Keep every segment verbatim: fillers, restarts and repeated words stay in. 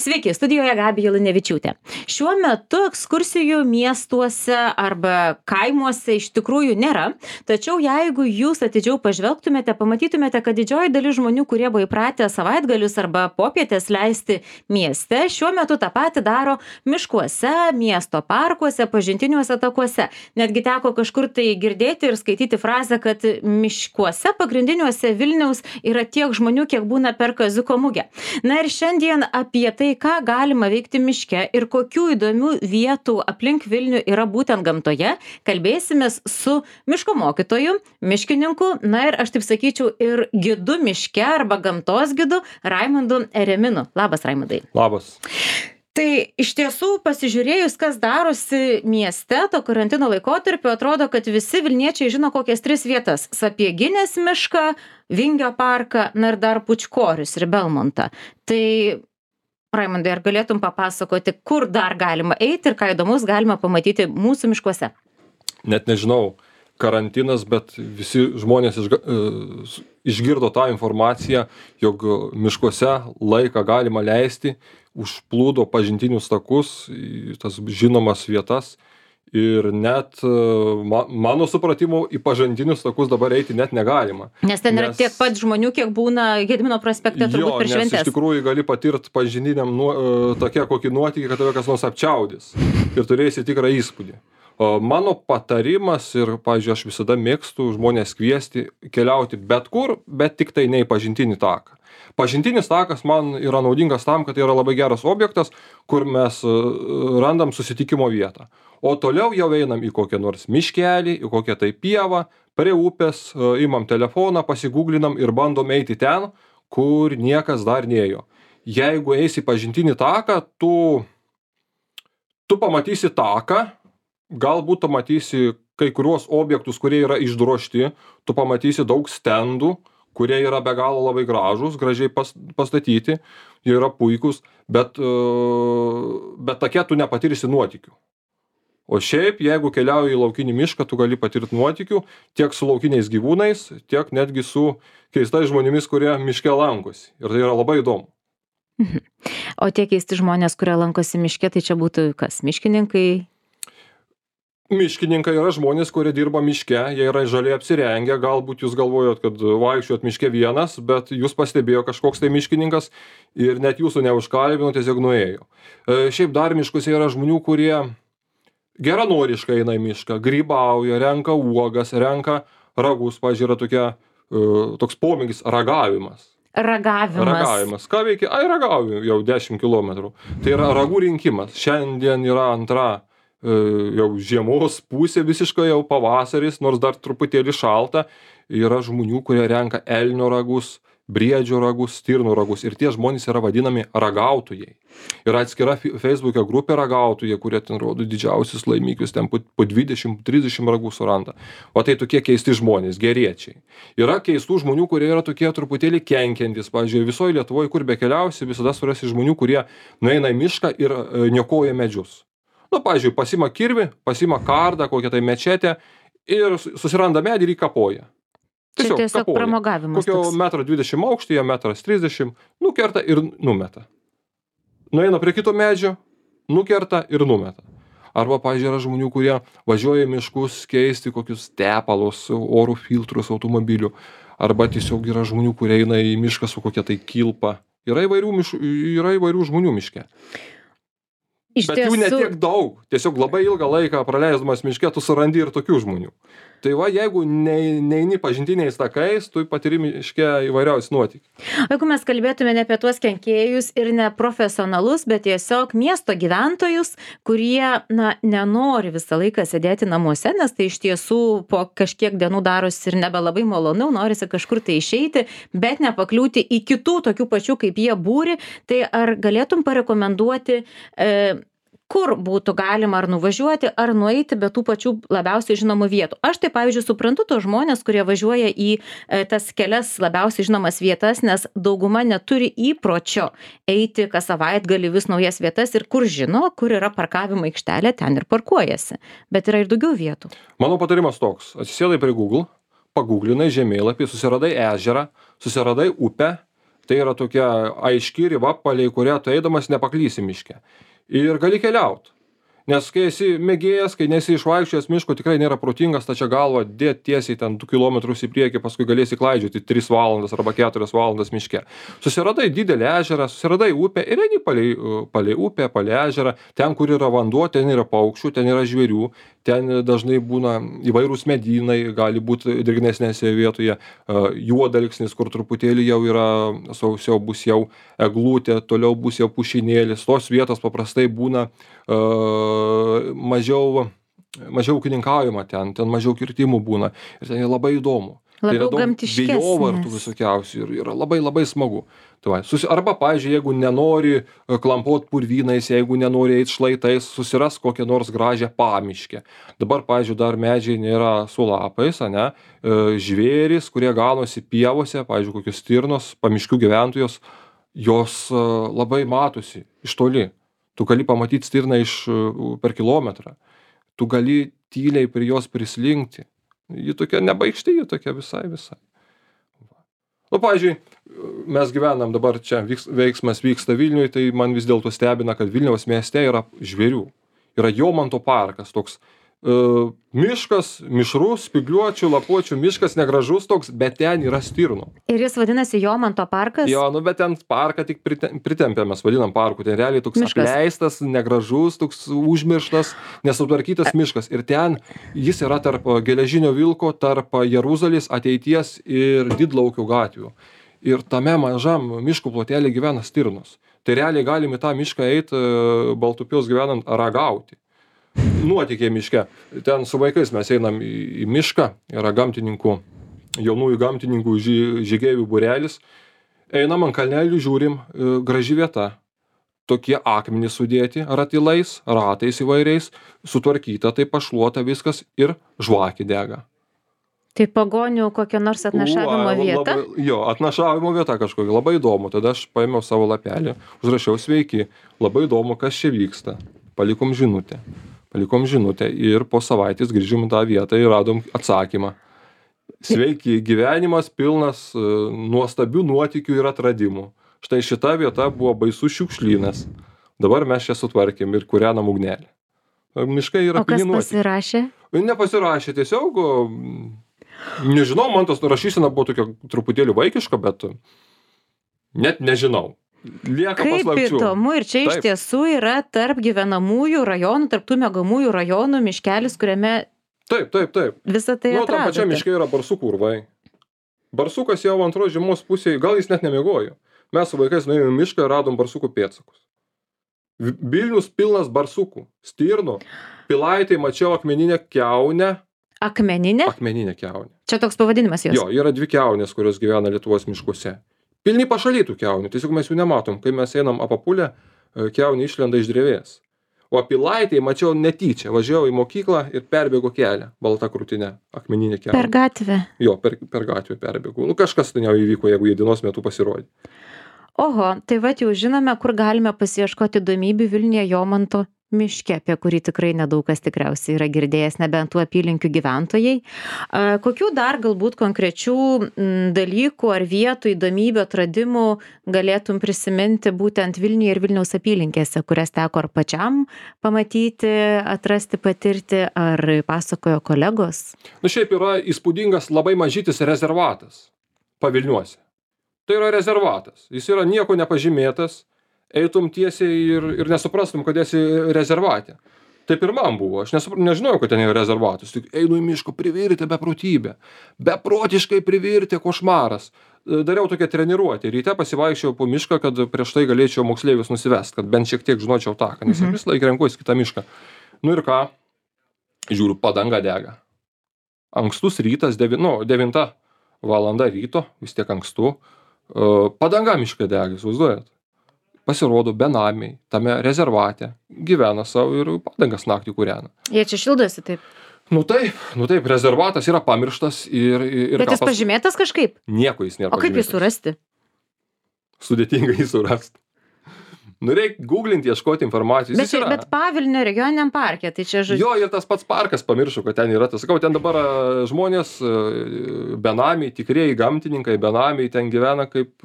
Sveiki, studijoje Gabija Lunevičiūtė. Šiuo metu ekskursijų miestuose arba kaimuose iš tikrųjų nėra, tačiau jeigu jūs atidžiau pažvelgtumėte, pamatytumėte, kad didžioji dalis žmonių, kurie buvo įpratę savaitgalius arba popietės leisti mieste, šiuo metu tą patį daro miškuose, miesto parkuose, pažintiniuose takuose. Netgi teko kažkur tai girdėti ir skaityti frazę, kad miškuose pagrindiniuose Vilniaus yra tiek žmonių, kiek būna per Kaziuko mugę. Na ir šiandien apie tai, ką galima veikti miške ir kokių įdomių vietų aplink Vilnių yra būtent gamtoje, kalbėsimės su miško mokytoju, miškininku, na ir aš taip sakyčiau ir gidu miške arba gamtos gidu Raimundu Ereminu. Labas, Raimundai. Labas. Tai iš tiesų pasižiūrėjus, kas darosi mieste, to karantino laikotarpiu, atrodo, kad visi Vilniečiai žino kokias tris vietas – Sapieginės mišką, Vingio parką, na ir dar Pučkorius ir Belmontą. Tai Raimundai, ar galėtum papasakoti, kur dar galima eiti ir ką įdomus galima pamatyti mūsų miškuose? Net nežinau, karantinas, bet visi žmonės išga, išgirdo tą informaciją, jog miškuose laiką galima leisti, užplūdo pažintinius takus, tas žinomas vietas. Ir net ma, mano supratimu į pažintinius takus dabar eiti net negalima. Nes ten nes, yra tiek pat žmonių, kiek būna Gedimino prospekte turbūt per šventes. Jo, nes iš tikrųjų gali patirti pažintiniam nuo, tokia kokį nuotykį, kad tave kas nors apčiaudys ir turėsi tikrą įspūdį. O mano patarimas ir, pavyzdžiui, aš visada mėgstu žmonės kviesti keliauti bet kur, bet tik tai ne į pažintinį taką. Pažintinis takas man yra naudingas tam, kad tai yra labai geras objektas, kur mes randam susitikimo vietą. O toliau jau einam į kokią nors miškelį, į kokią tai pievą, prie upės, imam telefoną, pasigūglinam ir bandom eiti ten, kur niekas dar neėjo. Jeigu eisi pažintinį taką, tu, tu pamatysi taką, galbūt pamatysi kai kuriuos objektus, kurie yra išdrožti, tu pamatysi daug stendų, kurie yra be galo labai gražūs, gražiai pas, pastatyti, jie yra puikūs, bet, bet take tu nepatirsi nuotykių. O šiaip, jeigu keliauji į laukinį mišką, tu gali patirti nuotykių tiek su laukiniais gyvūnais, tiek netgi su keistais žmonėmis, kurie miške lankosi. Ir tai yra labai įdomu. O tie keisti žmonės, kurie lankosi miške, tai čia būtų kas? Miškininkai? Miškininkai yra žmonės, kurie dirba miške, jie yra žaliai apsirengę, galbūt jūs galvojot, kad vaikščiojot miške vienas, bet jūs pastebėjo kažkoks tai miškininkas ir net jūsų neužkalbino, tiesiog nuėjo. Šiaip dar miškuose yra žmonių, kurie geranoriškai eina į mišką, grybauja, renka uogas, renka ragus, pavyzdžiui, yra tokia, toks pomėgis ragavimas. Ragavimas. Ragavimas. Ką veikia? Ai, ragauju jau dešimt kilometrų. Tai yra ragų rinkimas. Šiandien yra antra jau žiemos pusė, visiškai jau pavasaris, nors dar truputėlį šalta. Yra žmonių, kurie renka elnio ragus, briedžio ragus, stirnų ragus. Ir tie žmonės yra vadinami ragautojai. Yra atskira Facebook'e grupė ragautojai, kurie ten rodo didžiausius laimikius, ten po dvidešimt trisdešimt ragų suranda. O tai tokie keisti žmonės, geriečiai. Yra keistų žmonių, kurie yra tokie truputėlį kenkiantys. Pavyzdžiui, visoje Lietuvoje, kur bekeliausi, visada surasi žmonių, kurie nueina į mišką ir niokoja medžius. Nu, pavyzdžiui, pasima kirvį, pasima kardą, kokią tai mečetę ir susiranda medį ir įkapoja. Tiesiog, Čia tiesiog kapoja. Pramogavimas. Kokio metro dvidešimt aukštyje, metras trisdešimt, nukerta ir numeta. Nueina prie kito medžio, nukerta ir numeta. Arba, pavyzdžiui, yra žmonių, kurie važiuoja į miškus keisti kokius tepalus, oro filtrus automobilių. Arba tiesiog yra žmonių, kurie eina į mišką su kokia tai kilpa. Yra įvairių, miš... yra įvairių žmonių miške. Iš Bet tiesų... jų netiek daug. Tiesiog labai ilgą laiką praleisdamas miške, tu surandi ir tokių žmonių. Tai va, jeigu neini pažintiniais takais, tu patiri miške įvairiausius nuotykius. Jeigu mes kalbėtume ne apie tuos kenkėjus ir ne profesionalus, bet tiesiog miesto gyventojus, kurie na, nenori visą laiką sėdėti namuose, nes tai iš tiesų po kažkiek dienų darosi ir nebelabai malonu, norisi kažkur tai išeiti, bet nepakliūti į kitų tokių pačių kaip jie būri, tai ar galėtum parekomenduoti e, kur būtų galima ar nuvažiuoti, ar nueiti be tų pačių labiausiai žinomų vietų. Aš tai, pavyzdžiui, suprantu tos žmonės, kurie važiuoja į e, tas kelias labiausiai žinomas vietas, nes dauguma neturi įpročio eiti kas savaitgalį vis naujas vietas ir kur žino, kur yra parkavimo aikštelė, ten ir parkuojasi. Bet yra ir daugiau vietų. Mano patarimas toks. Atsisėdai prie Google, paguglinai žemėlapį, susiradai ežerą, susiradai upę, Tai yra tokia aiški riba, palei kurią tu eidamas nepaklysi miške. Ir gali keliaut. Nes kai esi mėgėjas, kai nesi išvaikščiojęs miško, tikrai nėra protingas tačia galva dėt tiesiai ten du kilometrus į priekį, paskui galėsi klaidžioti tris valandas arba keturias valandas miške. Susiradai didelį ežerą, susiradai upę ir eini palei, palei upę, palei ežerą, ten, kur yra vanduo, ten yra paukščių, ten yra žvėrių, ten dažnai būna įvairūs medynai, gali būti drėgnesnėse vietoje, juodalksnis, kur truputėlį jau yra sausiau, bus jau eglutė, toliau bus jau pušinėlis. Tos vietos paprastai būna uh, mažiau, mažiau ūkininkaujama ten, ten mažiau kirtimų būna ir ten labai įdomu. Labiau tai yra daug vėjovartų gamtiškesnis. visokiausių ir yra labai labai smagu. Tai va, susi, arba, pavyzdžiui, jeigu nenori e, klampot purvynais, jeigu nenori eit šlaitais, susiras kokią nors gražią pamiškę. Dabar, pavyzdžiui, dar medžiai nėra su lapais, ane, e, žvėrys, kurie ganosi pievose, pavyzdžiui, kokios stirnos, pamiškių gyventojos, jos e, labai matosi iš toli. Tu gali pamatyti stirną iš, e, per kilometrą. Tu gali tyliai prie jos prislinkti. Ji tokia nebaigšti, ji tokia visai, visai. Nu, pavyzdžiui, mes gyvenam dabar čia, vyks, veiksmas vyksta Vilniui, tai man vis dėlto stebina, kad Vilniaus mieste yra žvėrių. Yra Jomanto parkas, toks uh, miškas, mišrus, spygliuočių, lapuočių, miškas negražus toks, bet ten yra stirnų. Ir jis vadinasi Jomanto parkas? Jo, nu, bet ten parką tik pritempė, mes vadinam parku, ten realiai toks Miškas. apleistas, negražus, toks užmirštas, nesutvarkytas miškas. Ir ten jis yra tarp Geležinio vilko, tarp Jeruzalės ateities ir Didlaukio gatvių. Ir tame mažam miškų plotelį gyvena stirnos. Tai realiai galim į tą mišką eiti, Baltupios gyvenant, ragauti. Nuotykiai miške. Ten su vaikais mes einam į, į mišką, yra gamtininkų, jaunųjų gamtininkų ži, žygeivių būrelis. Einam ant kalnelių, žiūrim, e, graži vieta. Tokie akmenys sudėti ratilais, ratais įvairiais, sutvarkyta, tai pašluota viskas ir žvakė dega. Tai pagonių kokia nors atnašavimo Ua, vieta? Labai, jo, atnašavimo vieta kažkokia, labai įdomu. Tada aš paėmiau savo lapelį, užrašiau sveiki, labai įdomu, kas čia vyksta. Palikom žinutę. Palikom žinutę ir po savaitės grįžom į tą vietą ir radom atsakymą. Sveiki, gyvenimas pilnas uh, nuostabių nuotykių ir atradimų. Štai šita vieta buvo baisus šiukšlynas. Dabar mes čia sutvarkėm ir kūrenam ugnelį. Miškai yra O kas pilni nuotykių. pasirašė? Nepasirašė, tiesiog, nežinau, man tos rašysena buvo tokia truputėlį vaikiška, bet net nežinau. Lieka Kaip paslapčių. įdomu, ir čia iš Taip. tiesų yra tarp gyvenamųjų rajonų, tarp tų miegamųjų rajonų miškelis, kuriame Taip, taip, taip. visą tai Nu, tam pačiam atradote. miške yra barsukų urvai. Barsukas jau antros žiemos pusėje, gal jis net nemiegojo. Mes su vaikais nuėjome į mišką ir radom barsukų pėdsakus. Vi- Vilnius pilnas barsukų, stirnų, Pilaitėj mačiau akmeninę kiaunę. Akmeninė? Akmeninė kiaunė. Čia toks pavadinimas jos. Jo, yra dvi kiaunės, kurios gyvena Lietuvos miškuose. Pilni pašalytų kiaunių, tiesiog mes jų nematom. Kai mes einam apapulę, kiaunė išlenda iš drevės. O Pilaitėj mačiau netyčia, važiavau į mokyklą ir perbėgo kelią, balta krūtinė, akmeninė kiaunė. Per gatvę. Jo, per, per gatvę perbėgau. Nu, kažkas ten jau įvyko, jeigu jie dienos metu pasirodė. Oho, tai va jau žinome, kur galime pasiieškoti įdomybių Vilniuje Jomanto miške, apie kurį tikrai nedaug kas tikriausiai yra girdėjęs, nebent tų apylinkių gyventojai. A, kokių dar galbūt konkrečių m, dalykų ar vietų, įdomybių, atradimų galėtum prisiminti būtent Vilniuje ir Vilniaus apylinkėse, kurias teko ar pačiam pamatyti, atrasti, patirti, ar pasakojo kolegos? Nu, šiaip yra įspūdingas labai mažytis rezervatas pavilniuose. Tai yra rezervatas. Jis yra nieko nepažymėtas. Eitum tiesiai ir, ir nesuprastum, kad esi rezervate. Taip ir man buvo. Aš nesupr... nežinojau, kad ten yra rezervatas. Tik einu į miško, privirtė beprotybė. Beprotiškai privirtė, košmaras. Dariau tokią treniruotę. Ryte pasivaikščiau po mišką, kad prieš tai galėčiau moksleivius nusivest, kad bent šiek tiek žinočiau taką. Nes Mhm. vis laik renkuosi kitą mišką. Nu ir ką? Žiūriu, padanga dega. Ankstus rytas, devi... nu, devinta valanda ryto, vis tiek ankstu. Uh, padanga miške dega, įsivaizduojat? Pasirodo, benamiai tame rezervate gyvena savo ir padangas naktį kūrena. Jie čia šildosi taip. Nu taip, nu taip, rezervatas yra pamirštas ir... ir Bet ką jis pas- pažymėtas kažkaip? Nieko jis nėra O kaip jį pažymėtas. surasti? Sudėtinga jį surasti. Nu, reikia googlinti, ieškoti informacijos. Bet, čia, bet Pavilnio regioniniam parke, tai čia žodžiu. Jo, ir tas pats parkas, pamiršau, kad ten yra. Tas, sakau, ten dabar žmonės, benamiai, tikrieji gamtininkai, benamiai ten gyvena kaip,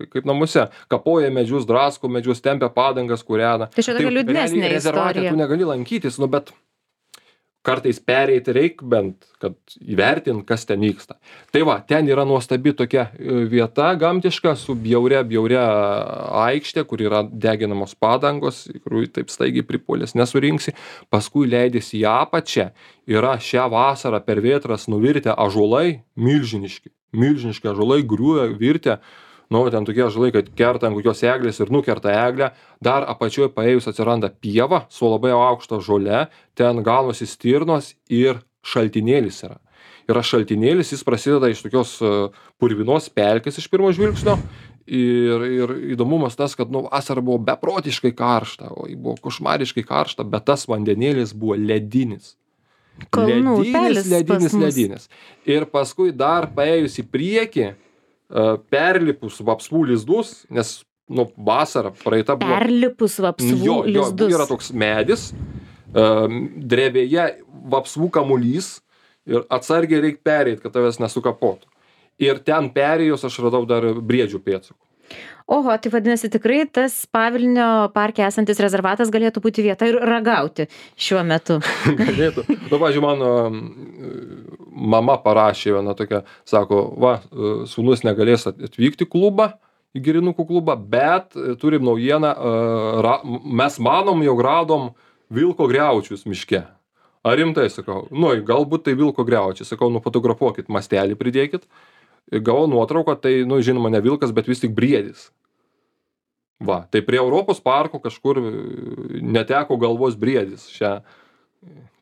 kaip namuose. Kapoja medžius, drasko medžius, tempia padangas, kūrena. Tai čia tokia liūdnesnė istorija. Tu negali lankytis, nu, bet kartais pereiti reik bent, kad įvertint, kas ten vyksta. Tai va, ten yra nuostabi tokia vieta gamtiška su bjauria, bjauria aikštė, kur yra deginamos padangos, kurių taip staigiai pripolės nesurinksi. Paskui leidėsi į apačią, yra šią vasarą per vėtras nuvirtę ąžuolai, milžiniški, milžiniški ąžuolai, griūja, virtę. Nu, ten tokie ąžuolai, kad kerta ant kokios eglės ir nukerta eglę, dar apačioje paėjus atsiranda pieva su labai aukšta žole, ten gaunasi stirnos ir šaltinėlis yra. Yra šaltinėlis, jis prasideda iš tokios purvinos pelkės iš pirmo žvilgsnio ir, ir įdomumas tas, kad nu, vasara buvo beprotiškai karšta, o buvo košmariškai karšta, bet tas vandenėlis buvo ledinis. Kalnų ledinis, ledinis, ledinis. Ir paskui dar paėjus į priekį, perlipus vapsvų lizdus, nes, nu, vasara praeita buvo... Perlipus vapsvų jo, jo, lizdus. Yra toks medis, drevėje vapsvų kamuolys ir atsargiai reikia perėti, kad tavęs nesukapotų. Ir ten perėjus aš radau dar briedžių pėdsakų. Oho, tai vadinasi, tikrai tas Pavilnio parke esantis rezervatas galėtų būti vieta ir ragauti šiuo metu. Galėtų. Nu, pavyzdžiui, mano mama parašė vieną tokią, sako, va, sūnus negalės atvykti klubą, į girinukų klubą, bet turim naujieną, ra, mes manom, jog radom vilko griaučius miške. Ar rimtai, sakau, nu, galbūt tai vilko griaučiai, sakau, nufotografuokit, mastelį pridėkit. Gavau nuotrauką, tai, nu, žinoma, ne vilkas, bet vis tik briedis. Va, tai prie Europos parko kažkur neteko galvos briedis šią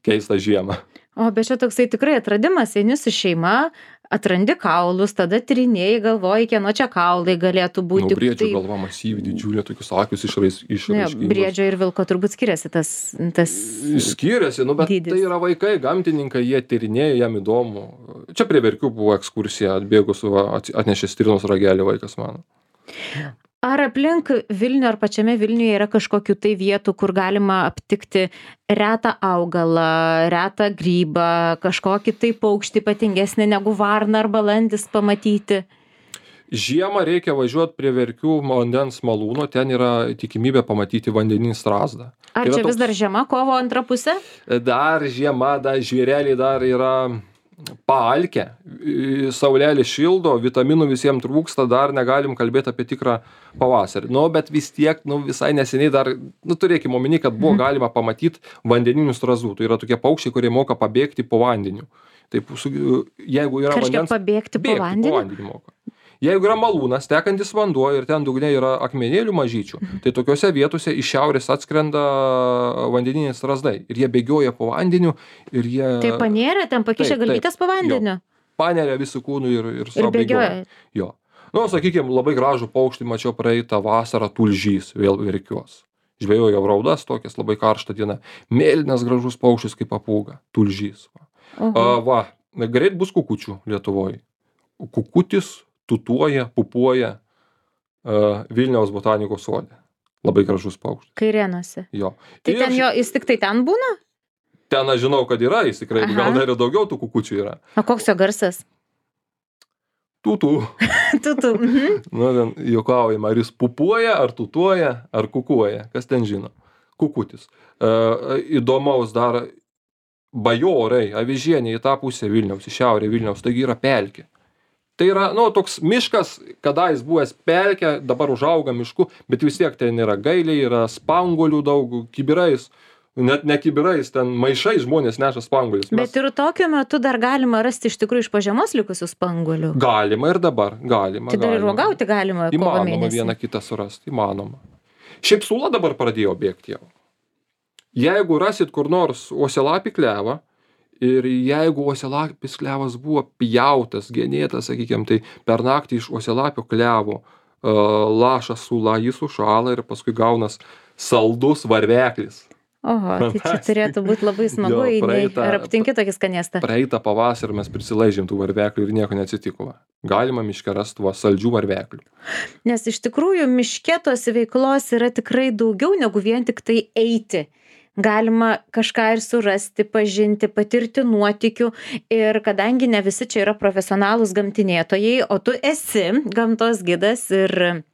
keistą žiemą. O, bet čia toksai tikrai atradimas, eini su šeima, atrandi kaulus, tada tyrinėjai, galvoji, kieno čia kaulai galėtų būti. Nu, briedžio tai... galva masyvi, didžiulė, tokius akius išraiškingos. Ne, briedžio ir vilko turbūt skiriasi tas... tas... Skiriasi, nu, bet dydis. Tai yra vaikai, gamtininkai, jie tyrinėja, jam įdomu. Čia prie Verkių buvo ekskursija, atbėgus, atnešė stirnos ragelį vaikas mano. Ar aplink Vilnių ar pačiame Vilniuje yra kažkokių tai vietų, kur galima aptikti retą augalą, retą grybą, kažkokį tai paukštį ypatingesnį negu varna ar balandis pamatyti? Žiemą reikia važiuoti prie Verkių vandens malūno, ten yra tikimybė pamatyti vandeninį strazdą. Ar čia toks... vis dar žiema, kovo antra pusė? Dar žiema, dar žvėreliai dar yra... paalkę, saulelė šildo, vitaminų visiems trūksta, dar negalim kalbėti apie tikrą pavasarį. Nu, bet vis tiek, nu, visai neseniai dar, nu, turėkime omeny, kad buvo galima pamatyti vandeninių strazdų. Tai yra tokie paukščiai, kurie moka pabėgti po vandeniu. Taip, jeigu yra Kažkiek vandens... pabėgti po vandeniu? Po vandeniu moka. Jeigu yra malūnas, tekantis vanduo ir ten dugne yra akmenėlių mažyčių, tai tokiose vietose iš šiaurės atskrenda vandeniniai strazdai. Ir jie bėgioja po vandeniu ir jie... Tai panėrė, ten pakišė galvytės po vandeniu? Panėrė visų kūnų ir, ir, ir bėgioja. Jo. Nu, sakykime, labai gražų paukštį mačiau praeitą vasarą tulžys, vėl Verkiuos. Žvejojau raudas, tokias labai karštą dieną. Mėlynas gražus paukštis kaip papūga, tulžys. Va, A, va greit bus kukučių Lietuvoje. Kukutis tutuoja, pupuoja uh, Vilniaus botanikos sode. Labai gražus paukštis. Kairėnuose. Jo. Tai ir ten jo, jis tik tai ten būna? Ten aš žinau, kad yra, jis tikrai, Aha. gal dar ir daugiau tų kukučių yra. O koks jo garsas? Tutu. Tutu. Mhm. Nu, ten juokaujama, ar jis pupuoja, ar tutuoja, ar kukuoja. Kas ten žino? Kukutis. Uh, įdomaus dar bajorai, avižieniai į tą pusę Vilniaus, į šiaurę Vilniaus, taigi yra pelkė. Tai yra, nu, toks miškas, kada jis buvęs pelkė, dabar užauga mišku, bet vis tiek ten yra gailiai, yra spangolių daug, kibirais, net ne kibirais, ten maišai žmonės neša spanguolius. Mes... Bet ir tokiu metu dar galima rasti iš tikrųjų iš pažemos likusių spanguolių. Galima ir dabar, galima. Tai dar ir uogauti galima kovo mėnesį. Įmanoma vieną kitą surasti, įmanoma. Šiaip sula dabar pradėjo bėgti jau. Jeigu rasit kur nors uosialapį klevą, ir jeigu uosialapis klevas buvo pjautas, genėtas, sakykime, tai per naktį iš uosialapio klevo uh, lašas sula, jis sušala ir paskui gaunas saldus varveklis. Oho, tai čia turėtų būti labai smagu, Jo, eini. praeitą- Ar aptinki tokį skanėstą? Praeitą pavasarį mes prisilaižėm tų varveklių ir nieko neatsitiko. va. Galima miške rasti tuo saldžių varveklių. Nes iš tikrųjų miške tos veiklos yra tikrai daugiau negu vien tik tai eiti. Galima kažką ir surasti, pažinti, patirti nuotykių. Ir kadangi ne visi čia yra profesionalūs gamtinėtojai, o tu esi gamtos gidas ir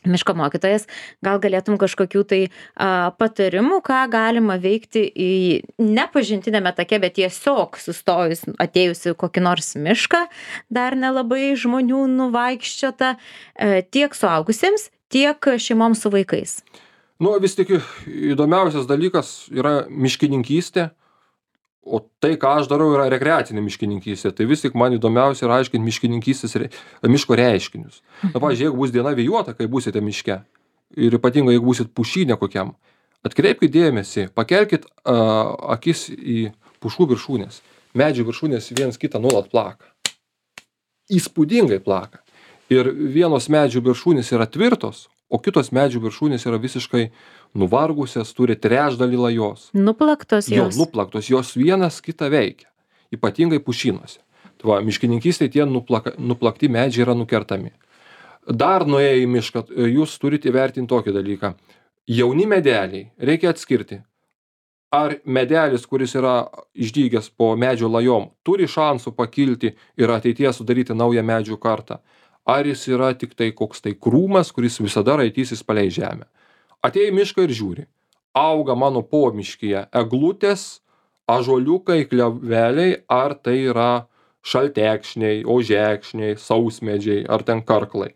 miško mokytojas, gal galėtum kažkokių tai a, patarimų, ką galima veikti į nepažintinėme take, bet tiesiog sustojus, atėjusi kokį nors mišką, dar nelabai žmonių nuvaikščiota, e, tiek suaugusiems, tiek šeimoms su vaikais. Nu, vis tik įdomiausias dalykas yra miškininkystė, o tai, ką aš darau, yra rekreacinė miškininkystė. Tai vis tik man įdomiausia yra aiškinti miškininkystės re, miško reiškinius. Na, pavyzdžiui, jeigu bus diena vėjuota, kai būsite miške, ir ypatingai, jeigu būsit pušyne kokiam, atkreipkite dėmesį, pakelkit uh, akis į pušų viršūnės. Medžių viršūnės viens kitą nuolat plaka. Įspūdingai plaka. Ir vienos medžių viršūnės yra tvirtos, o kitos medžių viršūnės yra visiškai nuvargusias, turi trečdalį lajos. Nuplaktos Jo, jos. nuplaktos, jos vienas kitą veikia, ypatingai pušynuose. Tai va, miškininkystėje tie nuplaka, nuplakti medžiai yra nukertami. Dar nuėję į mišką, jūs turite įvertinti tokį dalyką. Jauni medeliai reikia atskirti. Ar medelis, kuris yra išdygęs po medžio lajom, turi šansų pakilti ir ateityje sudaryti naują medžių kartą. Ar jis yra tik tai koks tai krūmas, kuris visada raitysis palei žemę. Atėjai į mišką ir žiūri. Auga mano pomiškyje eglutės, ąžuoliukai, kleveliai, ar tai yra šaltekšniai, ožekšniai, sausmedžiai, ar ten karklai.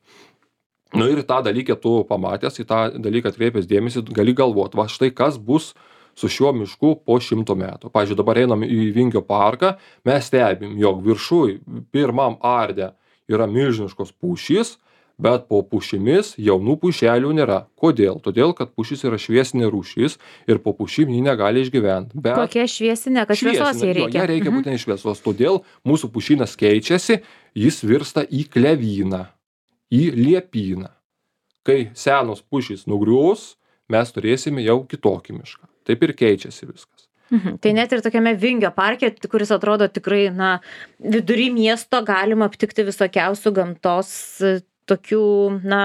Nu ir tą dalyką tu pamatęs, į tą dalyką atkreipęs dėmesį, gali galvoti, va štai kas bus su šiuo mišku po šimto metų. Pavyzdžiui, dabar einam į Vingio parką, mes stebim, jog viršuj pirmam arde yra milžiniškos pušys, bet po pušimis jaunų pušelių nėra. Kodėl? Todėl, kad pušis yra šviesinė rūšis ir po pušim ji negali išgyventi. Bet Kokia šviesinė, kad šviesos jai jo, reikia. ją reikia būtent šviesos. Todėl mūsų pušynas keičiasi, jis virsta į klevyną, į liepyną. Kai senos pušys nugrius, mes turėsime jau kitokį mišką. Taip ir keičiasi viskas. Mhm. Tai net ir tokiame Vingio parke, kuris atrodo tikrai, na, vidury miesto galima aptikti visokiausių gamtos e, tokių, na,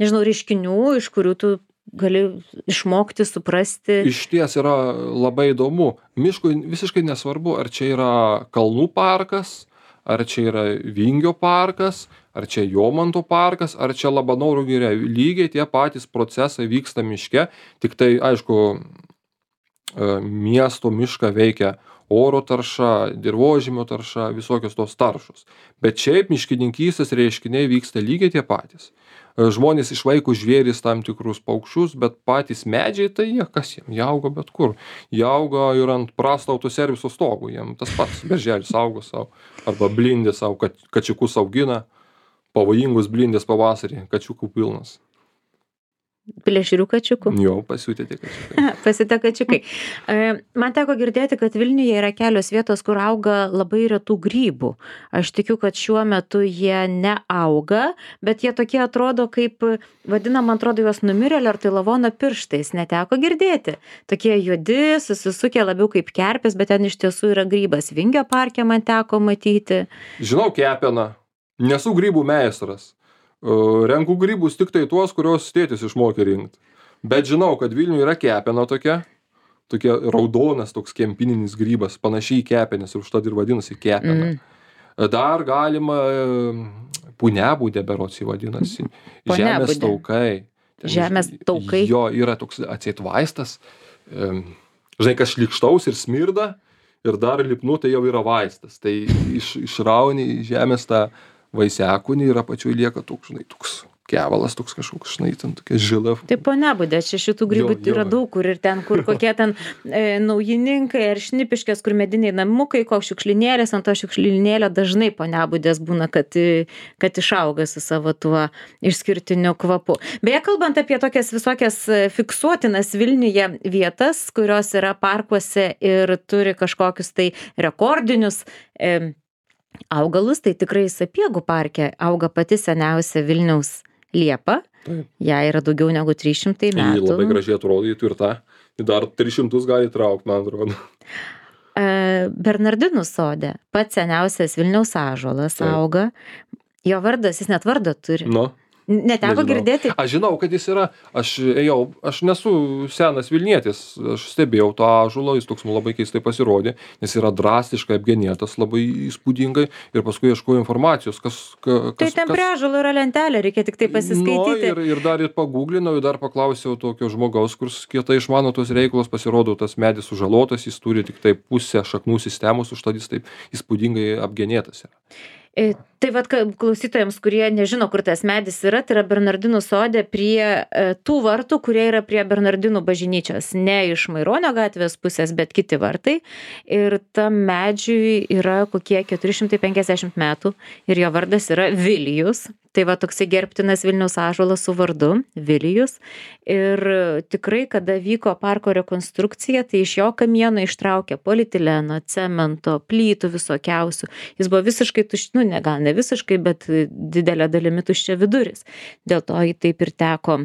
nežinau, reiškinių, iš kurių tu gali išmokti, suprasti. Iš ties yra labai įdomu. Miškui visiškai nesvarbu, ar čia yra kalnų parkas, ar čia yra Vingio parkas, ar čia Jomanto parkas, ar čia Labanoro giria. Lygiai tie patys procesai vyksta miške, tik tai, aišku, miesto mišką veikia oro tarša, dirvožemio tarša, visokios tos taršos. Bet šiaip miškininkystės reiškiniai vyksta lygiai tie patys. Žmonės išvaiko žvėris tam tikrus paukščius, bet patys medžiai, tai jie kas jiem, jie auga bet kur. Jie auga ir ant prasto autoserviso stogų, jiem tas pats berželis auga savo, arba blindės savo, kačiukus augina, pavojingus blindės pavasarį, kačiukų pilnas. Plėšrių kačiukų. Jo, pasiūtė tie kačiukai. Pasitė kačiukai. Man teko girdėti, kad Vilniuje yra kelios vietos, kur auga labai retų grybų. Aš tikiu, kad šiuo metu jie neauga, bet jie tokie atrodo kaip, vadinam, man atrodo, juos numirėlio ar tai lavono pirštais. Neteko girdėti. Tokie juodi, susisukę labiau kaip kerpės, bet ten iš tiesų yra grybas. Vingio parke man teko matyti. Žinau kepeną. Nesu grybų meistras. Renku grybus tik tai tuos, kurios tėtis išmokė rinkti. Bet žinau, kad Vilniuje yra kepena tokia, tokia raudonas toks kempininis grybas, panašiai į kepenis, ir užtat ir vadinasi kepena. Mm. Dar galima punebūdė berods jį vadinasi. Žemės taukai. Ten, Žemės taukai. Jo, yra toks atseit vaistas. Žinai, kas šlikštaus ir smirda, ir dar lipnu, tai jau yra vaistas. Tai iš, išrauni žemės tą vaisiakūnį ir apačioj lieka toks, žinai, toks kevalas, toks kažkoks, žinai, ten tokia žila. Taip, ponebūdė, čia šitų grybų Jo, jo. yra daug, kur ir ten, kur kokie ten e, naujininkai ar šnipiškės, kur mediniai namukai, koks šiukšlinėlės, ant to šiukšlinėlio dažnai ponebūdės būna, kad, kad išauga su savo tuo išskirtiniu kvapu. Beje, kalbant apie tokias visokias fiksuotinas Vilniuje vietas, kurios yra parkuose ir turi kažkokius tai rekordinius e, augalus, tai tikrai Sapiegų parke auga pati seniausia Vilniaus liepa. Taip. Jai yra daugiau negu trys šimtai Ji metų. labai gražiai atrodytų ir tą. Ji dar tris šimtus gali traukti, man atrodo. E, Bernardinų sode pats seniausias Vilniaus ąžuolas Taip. auga. Jo vardas, jis net vardą turi. Nu. Neteko Nežinau. girdėti. Aš žinau, kad jis yra, aš ėjau, aš nesu senas Vilnietis, aš stebėjau tą ąžuolą, jis toks man labai keistai pasirodė, nes yra drastiškai apgenėtas, labai įspūdingai ir paskui ieškojau informacijos, kas... Ka, Tai kas ten prie ąžuolo yra lentelė, reikia tik tai pasiskaityti. Nu, ir, ir dar ir paguglinau, ir dar paklausiau tokio žmogaus, kuris kietai išmano tos reikalus, pasirodo, tas medis sužalotas, jis turi tik tai pusę šaknų sistemos, užtat jis taip įspūdingai apgenėtas yra. E, Tai vat ka- klausytojams, kurie nežino, kur tas medis yra, tai yra Bernardinų sode prie e, tų vartų, kurie yra prie Bernardinų bažnyčios. Ne iš Maironio gatvės pusės, bet kiti vartai. Ir tam medžiui yra kokie keturi šimtai penkiasdešimt metų ir jo vardas yra Vilijus. Tai va toksai gerbtinas Vilniaus ąžuolas su vardu Vilijus. Ir tikrai, kada vyko parko rekonstrukcija, tai iš jo kamieno ištraukė polietileno, cemento, plytų visokiausių. Jis buvo visiškai tuščias, nu ne gal ne visiškai, bet didelė dalimi tuščia viduris. Dėl to jį taip ir teko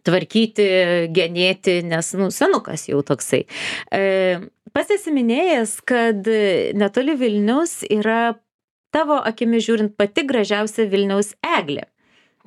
tvarkyti, genėti, nes, nu, senukas jau toksai. E, pats esi minėjęs, kad netoli Vilniaus yra tavo akimi žiūrint pati gražiausia Vilniaus eglė.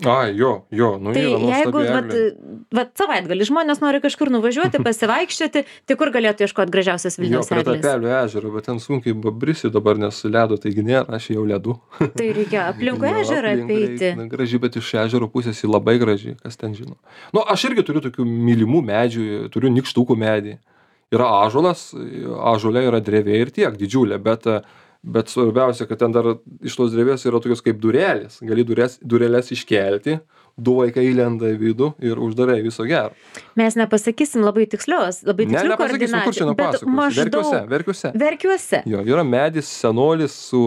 Ai, jo, jo, nu Tai yra jeigu nuostabi vat, eglė. vat savaitgalį žmonės nori kažkur nuvažiuoti, pasivaikščioti, tai kur galėtų ieškoti gražiausios Jo, Vilniaus prie eglės? Tapelio ežero, bet ten sunkiai brisi dabar, nes ledo taigi nėra, aš jau ledu. Tai reikia aplinkui Jo, ežerą aplink apeiti. reik- na, Graži, bet iš ežero pusės ji labai graži, kas ten žino. Nu, aš irgi turiu tokių mylimų medžių, turiu nykštukų medį. Yra ąžuolas, ąžuolė yra drevė ir tiek, didžiulė, bet, bet svarbiausia, kad ten dar iš tos drevės yra tokios kaip durelės. Gali durės, durelės iškelti, du vaikai įlenda į vidų ir uždarai viso gero. Mes nepasakysim labai tikslios, labai Ne, tikslių nepasakysim, kur čia koordinačių, bet nepasakosiu. Verkiuose, maždaug verkiuose. verkiuose. Jo, yra medis, senolis su,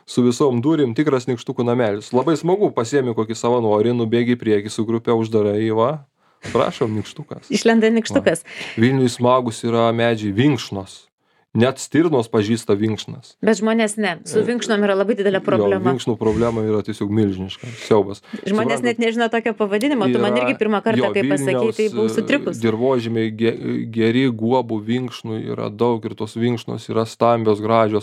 su visom durim, tikras nykštukų namelis. Labai smagu, pasiemi kokį savanorį, nubėgi į priekį su grupė, uždarai, va, prašom, nykštukas. Išlenda nykštukas. Vilniui smagus yra medžiai vinkšnos. Net stirnos pažįsta vinkšnas. Bet žmonės ne. Su vinkšnom yra labai didelė problema. Jo, vinkšnų problema yra tiesiog milžiniška. Siaubas. Žmonės net nežino tokio pavadinimo. Tu man Yra- irgi pirmą kartą, jo, kai pasakei, tai buvau Vilniaus, sutrikus. e, dirvožemiai ge- geri, guobų vinkšnų yra daug ir tos vinkšnos yra stambios, gražios.